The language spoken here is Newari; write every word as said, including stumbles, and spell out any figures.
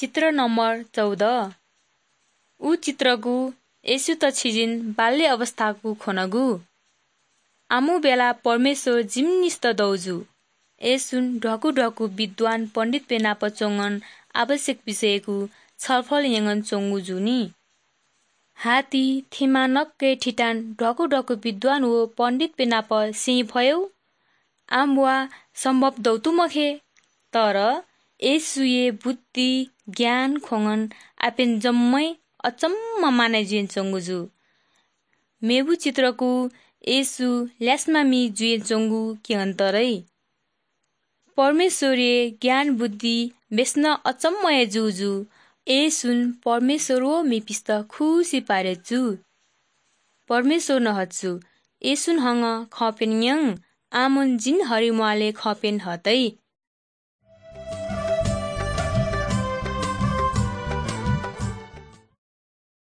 चित्र नम्बर चौध। उ चित्रगु येशूत छिजिन बाल्य अवस्थागु ख्वनागु। आमु बेला परमेश्वर जिमिनिस्त दौ जू। येशूं ढ्वाकु ढ्वाकु विद्वान पण्डितपिं नाप च्वंगन आवश्यक विषयगु छलफल यंगन च्वंगु जूनि। हाति थिमा नक्के थितान ढ्वाकु ढ्वाकु विद्वान व पण्डितपिं नाप सें फयौ। आम वा सम्भव दौ तु मखे। तर येशूये बुद्धि, ज्ञान ख्वंगन आपेन जम्मै अचम्म माने जुयेन च्वंगु जू। मेबु चित्रकु येशू ल्यासमामि जुयेन च्वंगु क्यंतरै। परमेश्वरये ज्ञान बुद्धि बेसनं अचम्म हे जू जू। येशूं परमेश्वर व मेपिस्त खुसि पारे जू। परमेश्वर नहच्चु। येशूं हंगं खंप्यन न्यं, आमन जिन हरिम्वालय् खंप्यन हतै।